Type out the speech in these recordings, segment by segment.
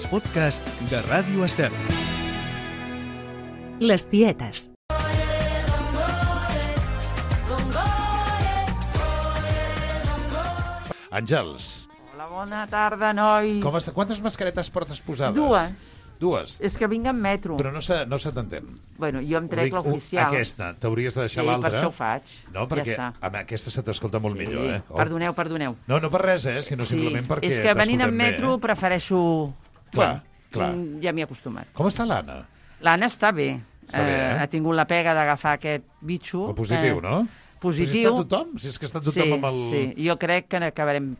els podcasts de Ràdio Estel. Les tietes. Àngels. Hola, bona tarda, nois. Com està? Quantes mascaretes portes posades? Dues? És que vinc en metro. Però no se t'entén. Bueno, jo em trec l'oficial. Aquesta, t'hauries de deixar l'altra. Sí, per això ho faig. No, perquè ja està. Aquesta se t'escolta molt millor, eh? Oh. Perdoneu. No per res, sinó simplement perquè és que venint en t'escoltem metro prefereixo... Clar. Ja m'hi he acostumat. Com està l'Anna? L'Anna està bé. Està bé, Ha tingut la pega d'agafar aquest bitxo. El positiu, no? Positiu. Però si està tothom? Si és que està tothom amb el... Sí, jo crec que acabarem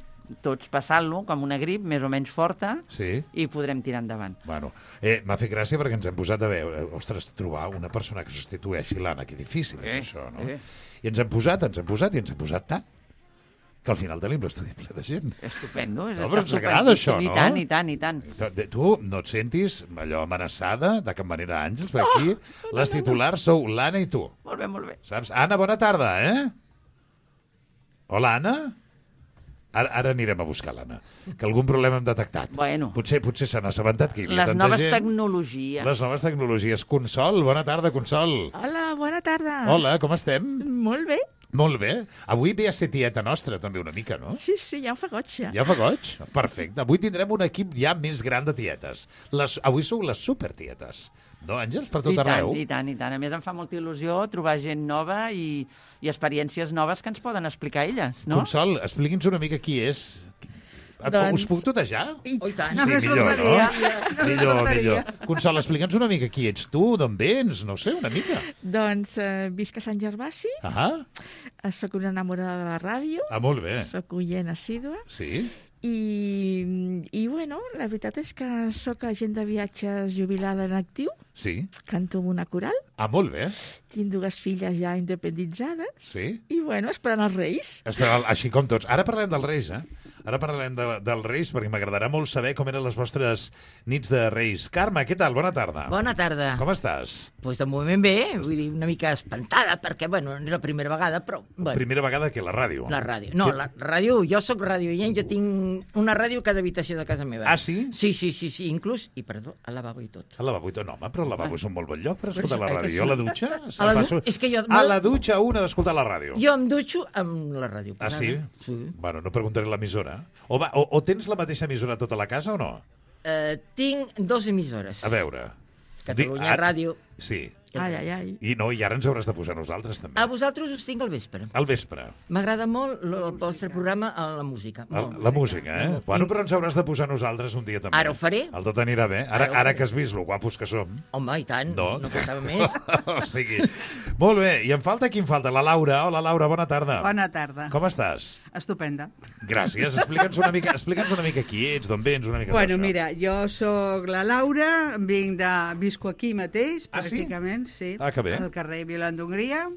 tots passant-lo com una grip més o menys forta i podrem tirar endavant. Bueno, m'ha fet gràcia perquè ens hem posat a veure, ostres, trobar una persona que substitueixi l'Anna, que difícil és això, no? I ens hem posat tant que al final tenim l'estudi ple de gent. Estupendo. No, però ens agrada això, no? I tant. Tu no et sentis allò amenaçada de cap manera, Àngels? Perquè aquí les titulars sou l'Anna i tu. Molt bé. Saps? Anna, bona tarda, Hola, Anna? Ara anirem a buscar l'Anna, que algun problema hem detectat. Bueno. Potser se n'ha assabentat que hi havia Les noves tecnologies. Les noves tecnologies. Consol, bona tarda, Consol. Hola, bona tarda. Hola, com estem? Molt bé. Molt bé. Avui ve a ser tieta nostra, també, una mica, no? Sí, ja ho fa goig, ja. Ja fa goig? Perfecte. Avui tindrem un equip ja més gran de tietes. Avui sou les supertietes. No, Àngels? Per tot arreu? I tant. A més, em fa molta il·lusió trobar gent nova i experiències noves que ens poden explicar elles, no? Consol, expliqui'ns una mica qui és. Us puc tutejar? I tant. Sí, millor, no? Millor. Consol, explica'ns una mica qui ets tu, d'on vens, no sé, una mica. Doncs visc a Sant Gervasi. Soc una enamorada de la ràdio. Molt bé. Soc oient assídua. Sí. I bueno, la veritat és que soc agent de viatges jubilada en actiu. Sí. Canto amb una coral. Molt bé. Tinc 2 filles ja independitzades. Sí. I bueno, esperant els Reis. Així com tots. Ara parlem dels Reis, Ara parlarem dels Reis, perquè m'agradarà molt saber com eren les vostres nits de Reis. Carme, què tal? Bona tarda. Bona tarda. Com estàs? Doncs de moment bé, vull dir, una mica espantada, perquè, bueno, no és la primera vegada, però... Bueno. Primera vegada que la ràdio? La ràdio. No, la ràdio, jo sóc radioient, jo tinc una ràdio a cada habitació de casa meva. Ah, sí? Sí, inclús, i perdó, al lavabo i tot. Al lavabo i tot? No, home, però el lavabo és un molt bon lloc per escoltar la ràdio. Sí. Jo a la dutxa... És que jo... A la dutxa una d'escoltar la ràdio. Jo em dutxo amb la ràdio. Ah, sí? Sí. Bueno, no preguntaré l'emissora. O tens la mateixa emissora a tota la casa o no? Tinc 2 emissores. A veure. Catalunya Ràdio. Sí. Ai. I ara ens hauràs de posar nosaltres, també. A vosaltres us tinc al vespre. Al vespre. M'agrada molt el vostre programa, la música. La música, Bueno, però ens hauràs de posar nosaltres un dia també. Ara ho faré. El tot anirà bé. Ara que has vist lo guapos que som. Home, i tant. No passava més. O sigui, molt bé. I em falta qui em falta? La Laura. Hola, Laura, bona tarda. Bona tarda. Com estàs? Estupenda. Gràcies. Explica'ns una mica qui ets, d'on vens, una mica Bueno, d'això. mira, jo sóc la Laura, visco aquí mateix, pràcticament, sí. Ah, que bé. Al carrer Vila d'Hongria.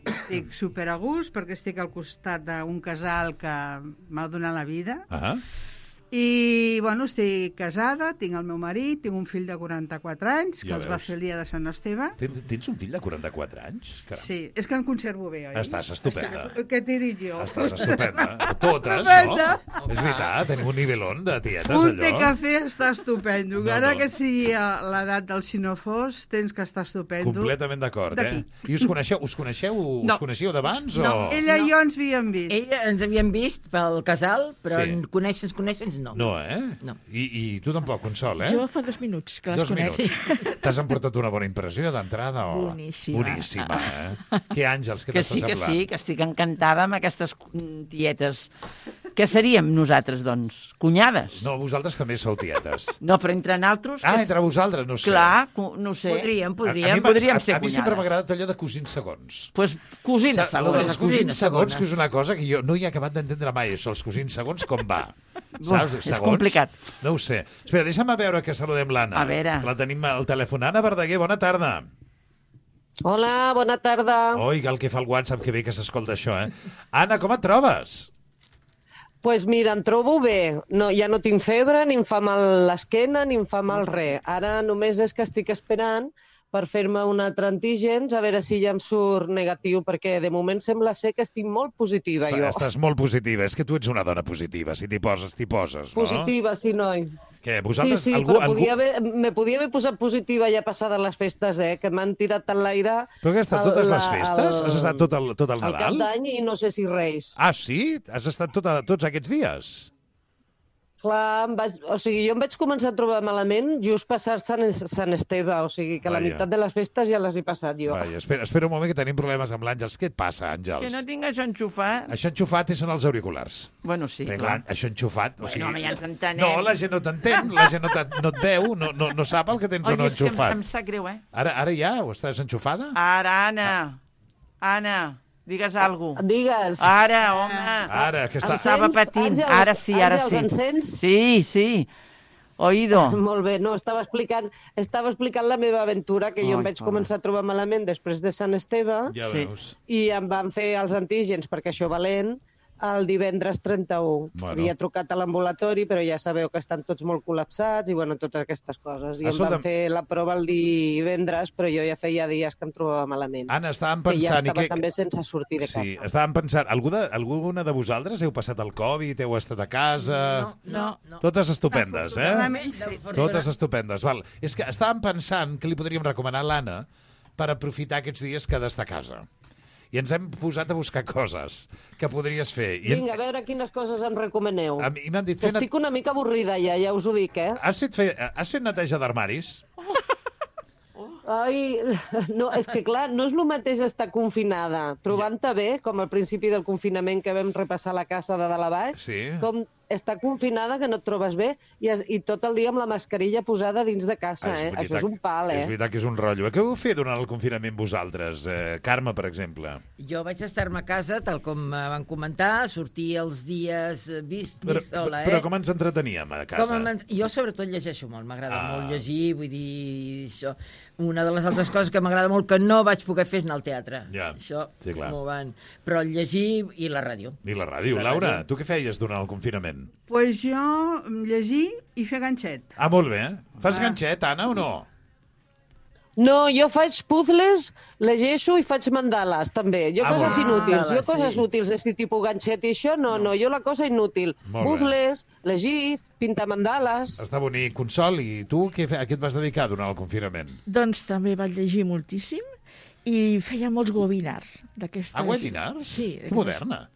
Estic super a gust perquè estic al costat d'un casal que m'ha donat la vida. I, bueno, estic casada, tinc el meu marit, tinc un fill de 44 anys, que els va fer el dia de Sant Esteve. Tens un fill de 44 anys? Caram. Sí, és que em conservo bé, oi? Estàs estupenda. Què t'he dit jo? Estàs estupenda. Totes, no? És veritat, tenim un nivelón de tietes, allò. Un té cafè està estupendo. Ara que sigui l'edat del sinofós, tens que estar estupendo. Completament d'acord, I us coneixeu d'abans? No, ella i jo ens havíem vist. Ella ens havíem vist pel casal, però conèixer no. No, No. I tu tampoc, Consol, Jo fa 2 minuts que les conec. T'has emportat una bona impressió d'entrada? Boníssima. Què, Àngels, què t'està semblant? Que sí, que estic encantada amb aquestes tietes. Què seríem nosaltres, doncs? Cunyades? No, vosaltres també sou tietes. No, però entre nosaltres... Entre vosaltres, no sé. Clar, no sé. Podríem ser cunyades. A mi sempre m'ha agradat allò de cosins segons. Doncs cosines segones. Els cosins segons, que és una cosa que jo no hi he acabat d'entendre mai, això, els cosins segons, com va? Saps? És complicat. No ho sé. Espera, deixa'm veure que saludem l'Anna. A veure. La tenim al telèfon. Anna Verdaguer, bona tarda. Hola, bona tarda. Oi, el que fa el WhatsApp, que bé que s'escolta això, Anna, com et trobes? Pues mira, em trobo bé. No, ja no tinc febre, ni em fa mal l'esquena, ni em fa mal res. Ara només és que estic esperant per fer-me un altre antígens, a veure si ja em surt negatiu, perquè de moment sembla ser que estic molt positiva, jo. Estàs molt positiva. És que tu ets una dona positiva. Si t'hi poses, no? Positiva, sí, noi. Què, vosaltres... Sí, però me podia haver posat positiva ja passades les festes, que m'han tirat en l'aire... Però que has estat totes les festes? Has estat tot el Nadal? El Cap d'Any i no sé si Reis. Ah, sí? Has estat tots aquests dies? Clar, jo em vaig començar a trobar malament just passar Sant Esteve, o sigui que la meitat de les festes ja les he passat jo. Vaja, espera un moment que tenim problemes amb l'Àngels. Què et passa, Àngels? Que no tinc això enxufat. Això enxufat són els auriculars. Bueno, sí, clar. Això enxufat... Bueno, home, ja ens entenem. No, la gent no t'entén, la gent no et veu, no sap el que tens o no enxufat. Em sap greu, Ara ja? Ho estàs enxufada? Ara, Anna, digues alguna cosa. Digues. Ara, home. Ara, que està... Estava patint. Ara sí. Àngels, em sents? Sí. Oído. Molt bé, no, estava explicant la meva aventura, que jo em vaig començar a trobar malament després de Sant Esteve. Ja veus. I em van fer els antígens, perquè això valent, el divendres 31. Bueno. Havia trucat a l'ambulatori, però ja sabeu que estan tots molt col·lapsats i bueno, totes aquestes coses. I em van fer la prova el divendres, però jo ja feia dies que em trobava malament. Anna, estàvem pensant... Que ja estava també sense sortir de casa. Sí, estàvem pensant... Alguna de vosaltres heu passat el Covid, heu estat a casa... No. Totes estupendes, Sí. Totes estupendes, val. És que estàvem pensant que li podríem recomanar a l'Anna per aprofitar aquests dies que ha d'estar a casa. I ens hem posat a buscar coses que podries fer. Vinga, a veure quines coses em recomaneu. A mi m'han dit... Estic una mica avorrida ja us ho dic, Has fet neteja d'armaris? Ai, no, és que clar, no és el mateix estar confinada, trobant-te bé, com al principi del confinament que vam repassar la casa de dalt a baix, com estar confinada que no et trobes bé i tot el dia amb la mascarilla posada dins de casa, Això és un pal, És veritat que és un rotllo. Què heu fet durant el confinament vosaltres? Carme, per exemple. Jo vaig estar-me a casa, tal com van comentar, sortir els dies vist sola, Però com ens entreteníem a casa? Jo sobretot llegeixo molt, m'agrada molt llegir, vull dir, això. Una de les altres coses que m'agrada molt que no vaig poder fer és anar al teatre. Ja, això sí, clar. m'ho van... Però llegir i la ràdio. I la ràdio. Laura, tu què feies durant el confinament? Pues jo llegir i fer ganxet. Ah, molt bé. Fas ganxet, Anna, o no? No, jo faig puzzles, llegeixo i faig mandales, també. Jo coses inútils. Jo coses útils, és tipus ganxet i això, no, jo la cosa inútil. Puzzles, llegir, pintar mandales... Està bonic. Consol, i tu a què et vas dedicar durant el confinament? Doncs també vaig llegir moltíssim i feia molts webinars d'aquestes... Ah, webinars? Sí. Que moderna.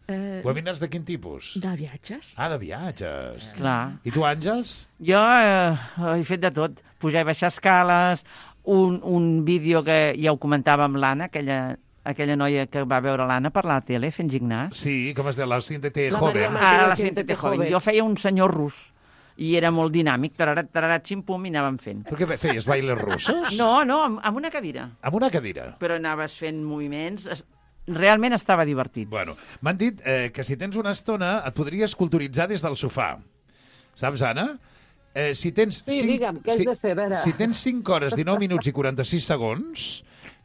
Webinars de quin tipus? De viatges. Ah, de viatges. Clar. I tu, Àngels? Jo he fet de tot. Pujar i baixar escales, un vídeo que ja ho comentava amb l'Anna, aquella noia que va veure l'Anna per la tele fent gimnàs. Sí, com es diu? La Siéntete Joven. La Siéntete Joven. Jo feia un senyor rus. I era molt dinàmic, tararat, ximpum, i anàvem fent. Però què feies, bailes russos? No, amb una cadira. Amb una cadira? Però anaves fent moviments... Realment estava divertit. Bueno, m'han dit que si tens una estona et podries culturitzar des del sofà. Saps, Anna? Si tens digue'm, què has de fer, a veure. Si tens 5 hores, 19 minuts i 46 segons,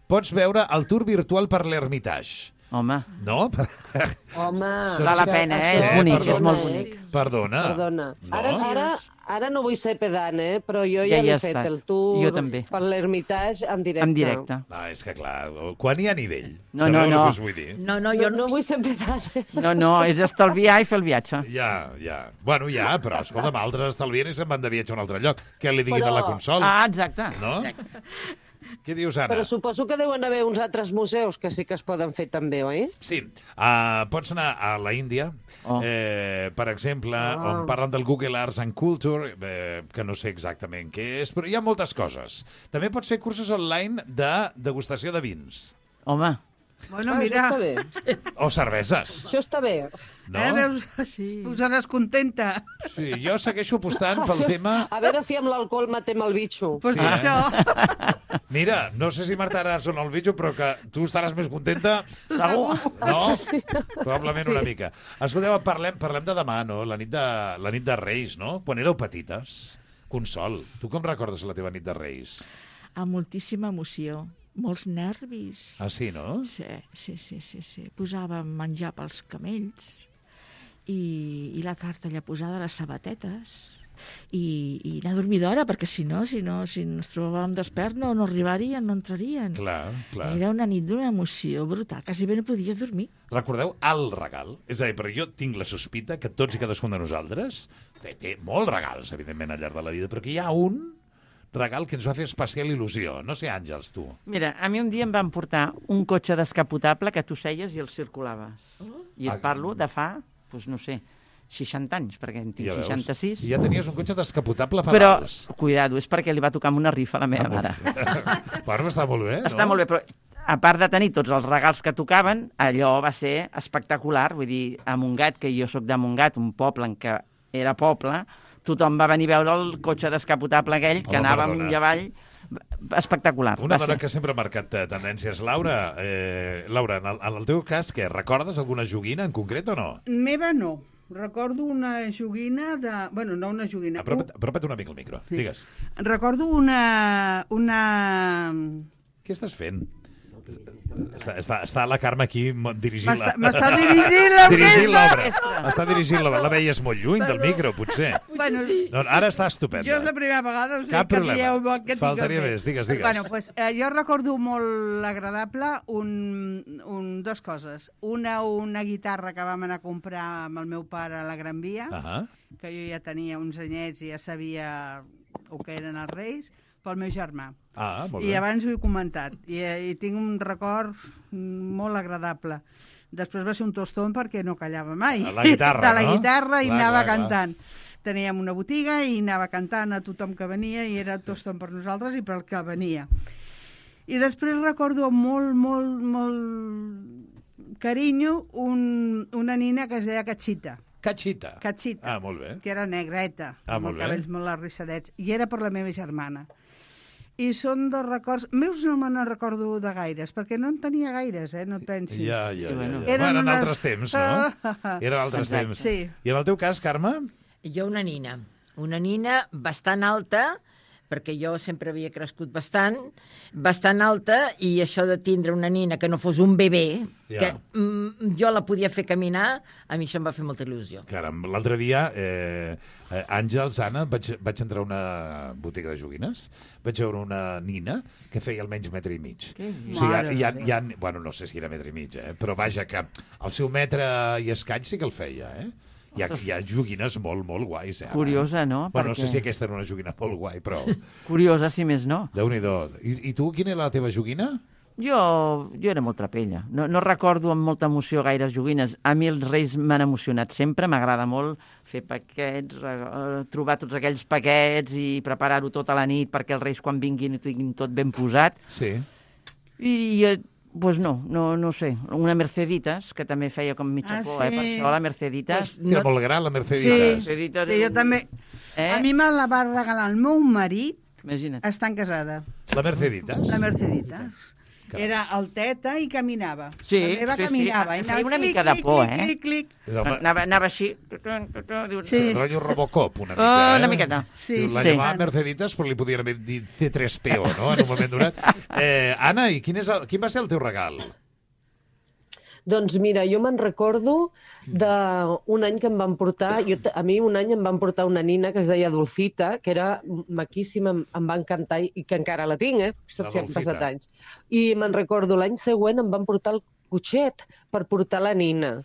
pots veure el tour virtual per l'Hermitage. Home. No? Home. Val la pena, és bonic, és molt bonic. Perdona. No? Ara no vull ser pedant, però jo ja l'he fet el tour per l'Hermitage en directe. En directe. És que clar, quan hi ha nivell. No. Sabeu el que us vull dir? Jo no vull ser pedant. No, és estalviar i fer el viatge. Ja. Bueno, però escolta'm, altres estalvien i se'n van de viatge a un altre lloc. Què li diguin a la Consol? Ah, exacte. No? Què dius, Anna? Però suposo que deuen haver uns altres museus que sí que es poden fer també, oi? Sí. Pots anar a la Índia, per exemple, on parlen del Google Arts and Culture, que no sé exactament què és, però hi ha moltes coses. També pots fer cursos online de degustació de vins. Home. Bueno, mira... O cerveses. Això està bé. No? Veus? Sí. Posaràs contenta. Sí, jo segueixo apostant pel tema... A veure si amb l'alcohol matem el bitxo. Pues sí, això. Mira, no sé si mataràs o no el bitxo, però que tu estaràs més contenta. Segur. No? Probablement una mica. Escolteu, parlem de demà, no? La nit de Reis, no? Quan éreu petites. Consol, tu com recordes la teva nit de Reis? Amb moltíssima emoció. Molts nervis. Ah, sí, no? Sí. Posàvem menjar pels camells i la carta allà posada a les sabatetes. i anar a dormir d'hora, perquè si no ens trobàvem despert no arribarien, no entrarien. Clar. Era una nit d'una emoció brutal, quasi bé no podies dormir. Recordeu el regal? És a dir, perquè jo tinc la sospita que tots i cadascun de nosaltres té molts regals, evidentment, al llarg de la vida, però que hi ha un regal que ens va fer especial il·lusió. No sé, Àngels, tu. Mira, a mi un dia em van portar un cotxe descapotable que tu seies i el circulaves. I et parlo de fa, doncs no sé, 60 anys, perquè en tinc 66. I ja tenies un cotxe descapotable a pedals. Però, cuidado, és perquè li va tocar amb una rifa a la meva mare. Bueno, està molt bé, no? Està molt bé, però a part de tenir tots els regals que tocaven, allò va ser espectacular. Vull dir, a Montgat, que jo sóc de Montgat, un poble en què era poble, tothom va venir a veure el cotxe descapotable aquell, que anava amunt i avall, espectacular. Una dona que sempre ha marcat tendències. Laura, en el teu cas, què? Recordes alguna joguina en concret o no? Meva no. Recordo una joguina de... Bueno, no una joguina. Apropa't una mica al micro, sí. Digues. Recordo una... Què estàs fent? Està la Carme aquí dirigint m'està dirigint l'orquestra. Està dirigint l'obra. La veies molt lluny del micro, potser. Bueno, no, ara està estupenda. Jo és la primera vegada. Cap problema. Faltaria més. Digues. Bueno, pues, jo recordo molt agradable dues coses. Una guitarra que vam anar a comprar amb el meu pare a la Gran Via, que jo ja tenia uns anyets i ja sabia el que eren els Reis, pel meu germà. Molt bé. I abans ho he comentat. I tinc un record molt agradable. Després va ser un tostón perquè no callava mai. La guitarra, de la guitarra i anava cantant. Teníem una botiga i anava cantant a tothom que venia i era tostón per nosaltres i per el que venia. I després recordo molt, molt, molt carinyo una nina que es deia Cachita. Cachita. Molt bé. Que era negreta, amb els cabells molt arrissadets. I era per la meva germana. I són dos records... Meus no me'n recordo de gaires, perquè no en tenia gaires, no et pensis. Ja. Eren altres temps, no? Eren altres temps. Sí. I en el teu cas, Carme? Jo una nina bastant alta, perquè jo sempre havia crescut bastant alta, i això de tindre una nina que no fos un bebè, que jo la podia fer caminar, a mi això em va fer molta il·lusió. Caram, l'altre dia, Àngels, Anna, vaig entrar a una botiga de joguines, vaig veure una nina que feia almenys metre i mig. O sigui, bueno, no sé si era metre i mig, però vaja, que el seu metre i escaig sí que el feia, Hi ha joguines molt, molt guais, Curiosa, no? Bueno, no sé si aquesta era una joguina molt guai, però... Curiosa, si més no. Déu-n'hi-do. I tu, quina era la teva joguina? Jo era molt trapella. No recordo amb molta emoció gaires joguines. A mi els Reis m'han emocionat sempre. M'agrada molt fer paquets, trobar tots aquells paquets i preparar-ho tota la nit perquè els Reis quan vinguin ho tinguin tot ben posat. Sí. I... Pues no sé. Una Merceditas, que també feia com mitja por, per això, la Merceditas. Era molt gran, la Merceditas. Sí, jo també. A mi me la va regalar el meu marit, estant casada. La Merceditas? La Merceditas. Era alteta i caminava. Sí. Caminava. Feia una mica de por, Clic. Anava així. Sí. Rotllo Robocop, una mica, Una miqueta. Sí. La llamava Merceditas, però li podien haver dit C3PO, no?, en un moment donat. Anna, i quin va ser el teu regal? Doncs mira, jo me'n recordo d'un any que em van portar, a mi un any em van portar una nina que es deia Dolfita, que era maquíssima, em va encantar i que encara la tinc, han passat anys. I me'n recordo, l'any següent em van portar el cotxet per portar la nina.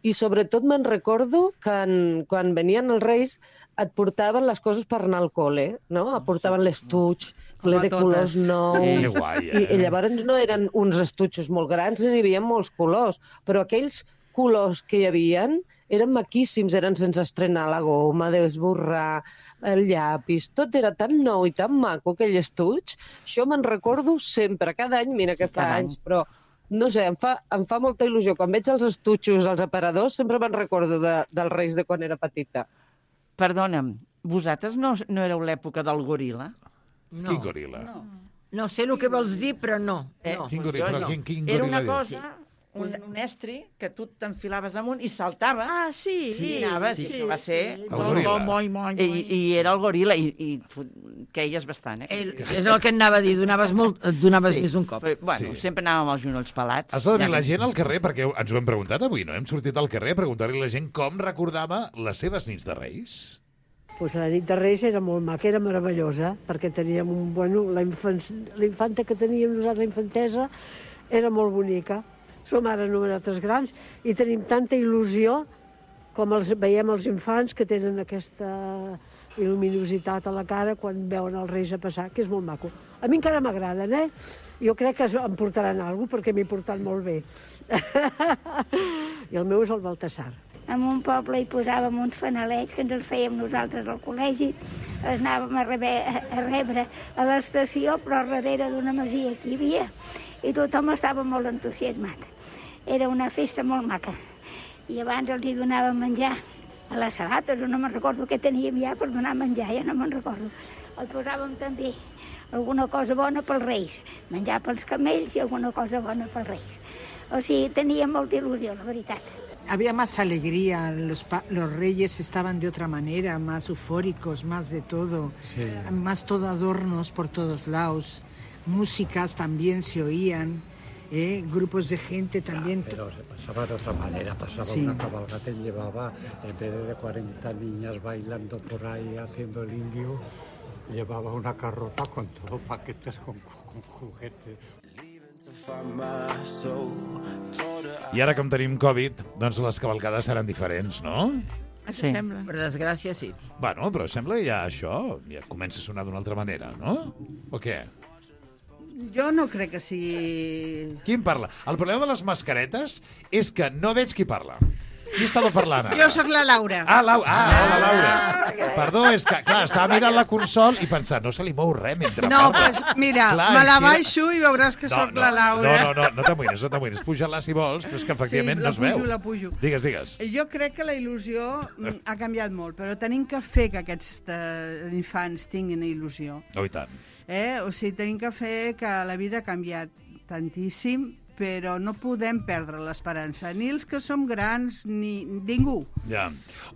I sobretot me'n recordo que quan venien els Reis et portaven les coses per anar al col·le, no? Et portaven l'estuig, ple de colors nous. Que guai, I llavors no eren uns estutxos molt grans, n'hi havia molts colors, però aquells colors que hi havien eren maquíssims, eren sense estrenar la goma, d'esborrar, el llapis, tot era tan nou i tan maco, aquell estuig. Això me'n recordo sempre, cada any, mira que fa anys, però... No sé, em fa molta il·lusió. Quan veig els estutxos, els aparadors, sempre me'n recordo dels Reis de quan era petita. Perdona'm, vosaltres no éreu l'època del goril·la? No. Quin goril·la? No sé el que vols dir, però no. Quin goril·la? Era una cosa, un estri, que tu t'enfilaves amunt i saltava. Sí. I anaves, i això va ser... El goril·la. I era el goril·la, i queies bastant, És el que anava a dir, donaves més un cop. Bueno, sempre anàvem amb els genolls pelats. Has de dir la gent al carrer, perquè ens ho hem preguntat avui, no? Hem sortit al carrer a preguntar-li a la gent com recordava les seves nits de Reis. Pues la nit de Reis era molt maca, era meravellosa, perquè teníem la infanta que teníem nosaltres, la infantesa, era molt bonica. Som ara nosaltres grans i tenim tanta il·lusió com veiem els infants que tenen aquesta il·luminositat a la cara quan veuen els Reis a passar, que és molt maco. A mi encara m'agraden, Jo crec que em portaran alguna cosa, perquè m'he portat molt bé. I el meu és el Baltasar. En un poble hi posàvem uns fanalets que ens els fèiem nosaltres al col·legi, els anàvem a rebre a l'estació, però darrere d'una masia que hi havia, i tothom estava molt entusiasmat. Era una festa molt maca. I abans els hi donàvem menjar a les sabates, o no me'n recordo què teníem ja per donar menjar, ja no me'n recordo. El posàvem també alguna cosa bona pels Reis, menjar pels camells i alguna cosa bona pels Reis. O sigui, tenia molta il·lusió, la veritat. Había más alegría, los reyes estaban de otra manera, más eufóricos, más de todo, sí. Más todo adornos por todos lados, músicas también se oían, grupos de gente también. Pero se pasaba de otra manera, pasaba una cabalgata y llevaba, en vez de 40 niñas bailando por ahí haciendo el indio, llevaba una carroza con todos paquetes con juguetes. I ara, com tenim Covid, doncs les cavalcades seran diferents, no? Sí. Sembla. Per desgràcia, sí. Bueno, però sembla que ja això ja comença a sonar d'una altra manera, no? O què? Jo no crec que sigui... Qui en parla? El problema de les mascaretes és que no veig qui parla. Qui estava parlant ara? Jo sóc la Laura. Hola, Laura. Perdó, és que, clar, estava mirant la consol i pensant, no se li mou res mentre parla. No, doncs mira, clar, me la baixo i veuràs que sóc la Laura. No t'amoïnes. Puja-la si vols, però és que efectivament no es veu. La pujo. Digues. Jo crec que la il·lusió ha canviat molt, però tenim que fer que aquests infants tinguin il·lusió. Oh, i tant. O sigui, tenim que fer que la vida ha canviat tantíssim, però no podem perdre l'esperança, ni els que som grans, ni ningú. Ja.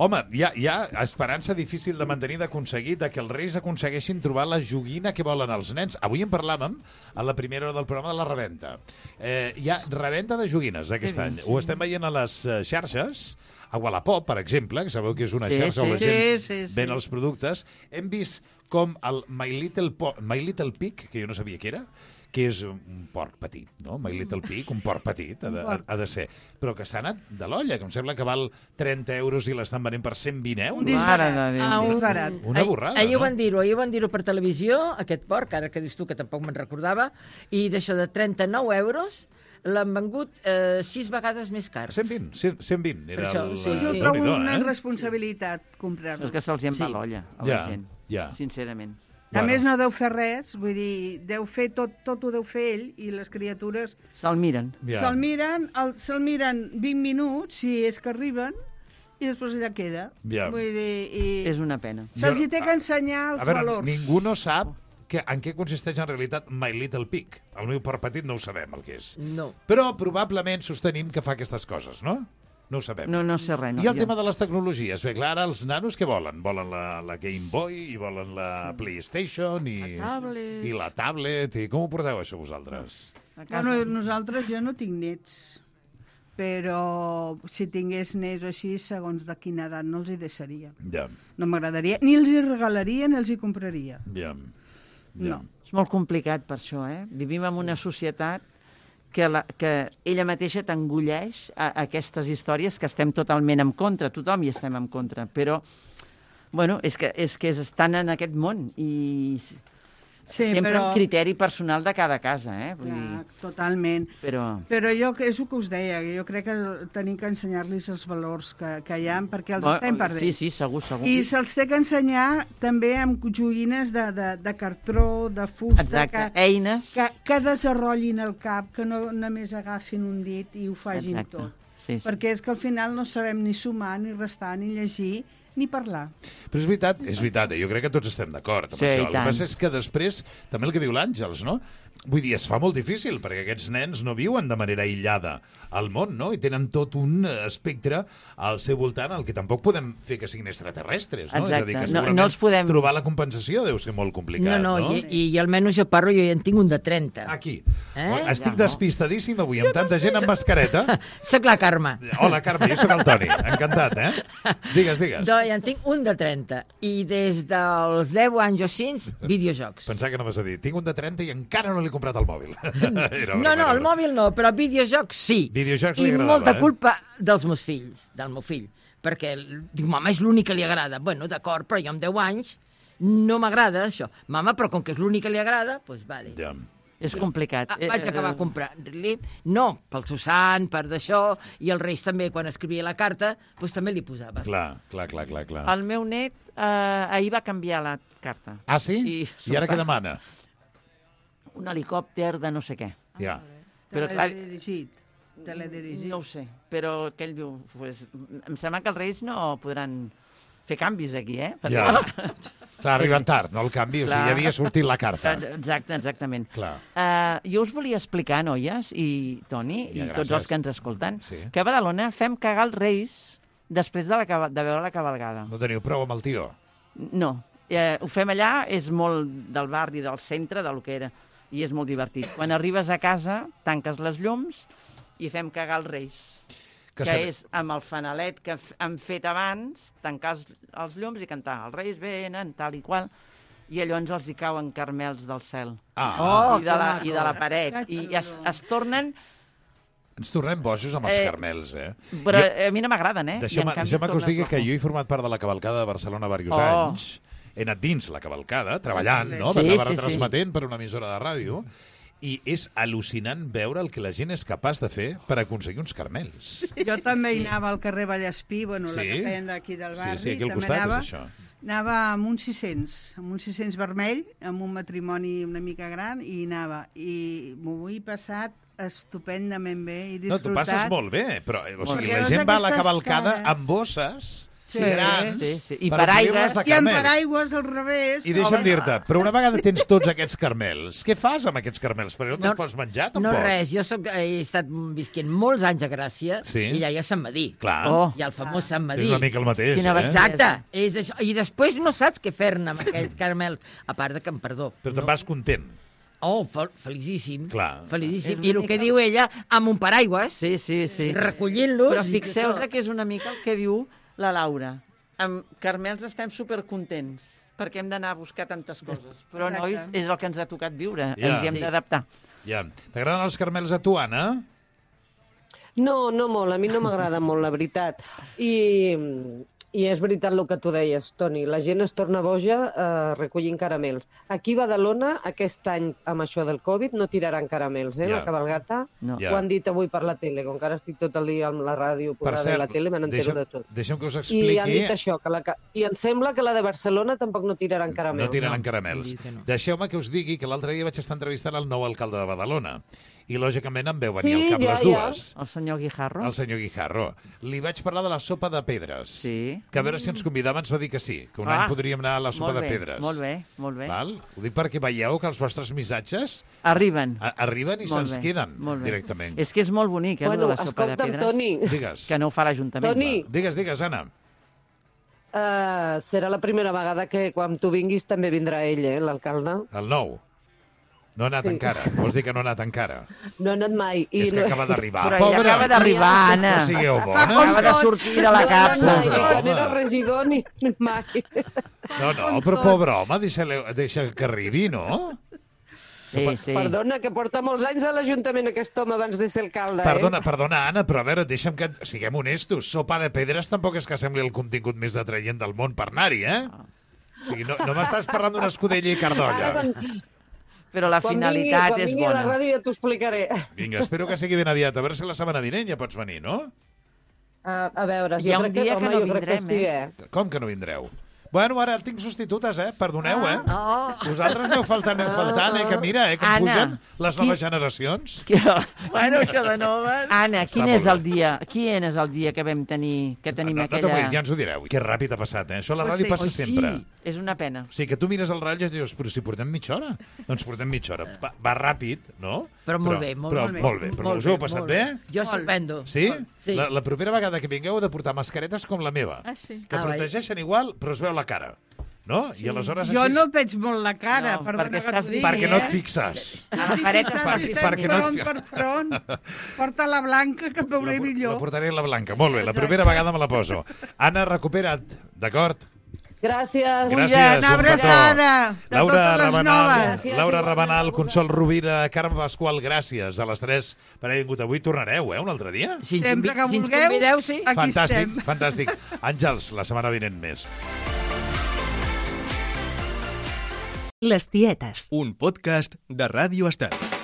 Home, hi ha esperança difícil de mantenir, d'aconseguir, de que els Reis aconsegueixin trobar la joguina que volen els nens. Avui en parlàvem a la primera hora del programa de la reventa. Hi ha reventa de joguines aquest any. Ho estem veient a les xarxes, a Wallapop, per exemple, que sabeu que és una xarxa on la gent ven els productes. Hem vist com el My Little Pig, que jo no sabia què era, que és un porc petit, no? My Little Pig, un porc petit, ha de ser. Però que s'ha anat de l'olla, que em sembla que val 30 euros i l'estan venent per 120 euros. Un disbarat. Una borrada, ahir ho van dir-ho per televisió, aquest porc, ara que dius tu, que tampoc me'n recordava, i d'això de 39 euros l'han vengut 6 vegades més car. 120. Era jo trobo una responsabilitat comprar-lo. És que se'ls en va l'olla a la gent, sincerament. A més, no deu fer res, vull dir, deu fer tot ho deu fer ell, i les criatures... Se'l miren. Se'l miren 20 minuts, si és que arriben, i després allà queda. Vull dir... És una pena. Se'ls hi té que ensenyar els valors. Ningú no sap en què consisteix en realitat My Little Pig. El meu porc petit no ho sabem, el que és. No. Però probablement sostenim que fa aquestes coses, no? No ho sabem. No sé res. I el tema de les tecnologies. Bé, clar, ara els nanos què volen? Volen la Game Boy, i volen la PlayStation, i la tablet. I com ho porteu, això, vosaltres? Bueno, nosaltres, jo no tinc nets, però si tingués nets o així, segons de quina edat, no els hi deixaria. Ja. No m'agradaria. Ni els hi regalaria, ni els hi compraria. Ja. No. És molt complicat per això, Vivim en una societat que ella mateixa t'engulleix a aquestes històries que estem totalment en contra, tothom hi estem en contra, però bueno, és que estan en aquest món i sempre un criteri personal de cada casa, Vull dir... Totalment. Però jo, és el que us deia, jo crec que tenim que ensenyar-los els valors que hi ha, perquè els estem perdent. Sí, segur. I se'ls té que ensenyar també amb joguines de cartró, de fusta, eines que desenrotllin el cap, que no només agafin un dit i ho facin tot. Sí. Perquè és que al final no sabem ni sumar, ni restar, ni llegir, ni parlar. Però és veritat, jo crec que tots estem d'acord amb això. El que passa és que després, també el que diu l'Àngels, no? Vull dir, es fa molt difícil, perquè aquests nens no viuen de manera aïllada al món, no? I tenen tot un espectre al seu voltant, el que tampoc podem fer que siguin extraterrestres, no? Exacte. És a dir, que segurament trobar la compensació deu ser molt complicat, no? I almenys jo parlo, jo ja en tinc un de 30. Aquí. Estic despistadíssim avui, amb tanta gent amb mascareta. Soc la Carme. Hola, Carme, jo soc el Toni. Encantat, Digues. ja en tinc un de 30. I des dels 10 anys o 5, videojocs. Pensava que no m'has de dir, tinc un de 30 i encara no li he comprat el mòbil. No, el mòbil no, però videojocs sí. Videojocs li agradava, I molta culpa dels meus fills, del meu fill. Perquè diu, mama, és l'únic que li agrada. Bueno, d'acord, però jo amb 10 anys no m'agrada això. Mama, però com que és l'únic que li agrada, doncs vale. Ja. És complicat. Vaig acabar comprant-li. No, pel seu sant, per d'això, i els Reis també, quan escrivia la carta, doncs també li posava. Clar. El meu net ahir va canviar la carta. Ah, sí? I ara què demana? Un helicòpter de no sé què. Ja. Però clar, Teledirigit. no ho sé, però aquell diu... Pues, em sembla que els Reis no podran fer canvis aquí, Perquè... Ja. Clar, arriben tard, no el canvi, o sigui, ja havia sortit la carta. Exactament. Clar. Jo us volia explicar, noies, i Toni, i tots els que ens escolten, sí, que a Badalona fem cagar els Reis després de veure la cabalgada. No teniu prou amb el tio? No. Ho fem allà, és molt del barri, del centre, del que era, i és molt divertit. Quan arribes a casa, tanques les llums i fem cagar els Reis. Que és amb el fanalet que han fet abans, tancar els llums i cantar els Reis venen, tal i qual, i llavors els hi cauen carmels del cel. I de la paret. I es tornen... Ens tornem bojos amb els carmels, Però a mi no m'agraden, Deixeu-me que us digui que jo he format part de la cavalcada de Barcelona diversos anys. He anat dins la cavalcada, treballant, no? Anava retransmetent per una emissora de ràdio. I és al·lucinant veure el que la gent és capaç de fer per aconseguir uns carmels. Jo també hi anava al carrer Vallespí, la que feien d'aquí del barri. Sí, aquí al costat és això. Anava amb un 600 vermell, amb un matrimoni una mica gran, i anava. I m'ho he passat estupendament bé i disfrutat. No, tu passes molt bé, però la gent va a la cavalcada amb bosses... grans, i paraigües, i amb paraigües al revés. I deixa'm dir-te, però una vegada tens tots aquests carmels, què fas amb aquests carmels? Perquè no te'ls pots menjar, tampoc. No res, jo he estat visquent molts anys a Gràcia, i allà hi ha Sant Madí. Clar. Hi ha el famós Sant Madí. És una mica el mateix, Exacte. I després no saps què fer-ne amb aquell carmel, a part de que, perdó. Però te'n vas content. Felicíssim. Clar. Felicíssim. I el que diu ella, amb un paraigües, recollint-los... Però fixeu-vos que és una mica el que diu la Laura. Amb carmels estem supercontents, perquè hem d'anar a buscar tantes coses. Però, nois, és el que ens ha tocat viure. Ens hi hem d'adaptar. Ja. T'agraden els carmels a tu, Anna? No molt. A mi no m'agrada molt, la veritat. I és veritat el que tu deies, Toni. La gent es torna boja recollint caramels. Aquí a Badalona, aquest any, amb això del Covid, no tiraran caramels, la cabalgata. No. Ho han dit avui per la tele. Com que ara estic tot el dia amb la ràdio posada a la tele, me n'entero de tot. Deixa'm que us expliqui... I han dit això, i em sembla que la de Barcelona tampoc no tiraran caramels. No tiraran caramels. Deixeu-me que us digui que l'altre dia vaig estar entrevistant el nou alcalde de Badalona. I, lògicament, em veu venir al cap les dues. El senyor Guijarro. El senyor Guijarro. Li vaig parlar de la sopa de pedres. Sí. Que a veure si ens convidava, ens va dir que sí. Que un any podríem anar a la sopa de pedres. Molt bé. Val? Ho dic perquè veieu que els vostres missatges... Arriben. Arriben i se'ns queden directament. És que és molt bonic, de la sopa de pedres. Toni. Digues. Que no ho fa l'Ajuntament. Toni. Digues, Anna. Serà la primera vegada que quan tu vinguis també vindrà ell, l'alcalde. El nou. No ha anat encara. Vols dir que no ha anat encara? No ha anat mai. És que acaba d'arribar. Però ella acaba d'arribar, Anna. No sigueu bona. Acaba de sortir de la capsa. No era regidor ni mai. No, però pobre home, deixa que arribi, no? Sí. Perdona, que porta molts anys a l'Ajuntament aquest home abans de ser alcalde. Perdona, Anna, però a veure, deixa'm que siguem honestos. Sopa de pedres tampoc és que sembli el contingut més atraient del món per anar-hi, O sigui, no m'estàs parlant d'una escudella i cardolla. Però la finalitat és bona. Quan vingui a la ràdio ja t'ho explicaré. Vinga, espero que sigui ben aviat. A veure si la setmana vinent ja pots venir, no? A veure, hi ha un dia que no vindrem, Com que no vindreu? Bueno, ara tinc substitutes, perdoneu, Vosaltres aneu faltant, que mira, que em pugen les noves generacions. Bueno, això de noves... Anna, quin és el dia que vam tenir, que tenim aquella... Ja ens ho direu. Que ràpid ha passat, Això a la ràdio passa sempre. És una pena. O sigui, que tu mires el rellotge i dius, però si portem mitja hora. Doncs portem mitja hora. Va ràpid, no? Però molt bé. Però us ho heu passat bé? Jo estupendo. Sí? La propera vegada que vingueu heu de portar mascaretes com la meva. Ah, sí. Que protegeixen igual, però es veu la cara. no? I aleshores Jo així... no veig molt la cara, perdona que t'ho digui. Perquè no et fixes. Perquè no et... per front. Porta la blanca, que veuré millor. La portaré la blanca, molt bé. La primera vegada me la poso. Anna, recupera't, d'acord? Gràcies. Gràcies, una abraçada de totes les noves. Laura Rabanal, Consol Rovira, Carme Pasqual, gràcies a les 3 per haver vingut avui. Tornareu, un altre dia? Sempre que Si ens vulgueu, convideu, sí. aquí estem. Fantàstic. Àngels, la setmana vinent més. Les Tietes, un podcast de Ràdio Estel.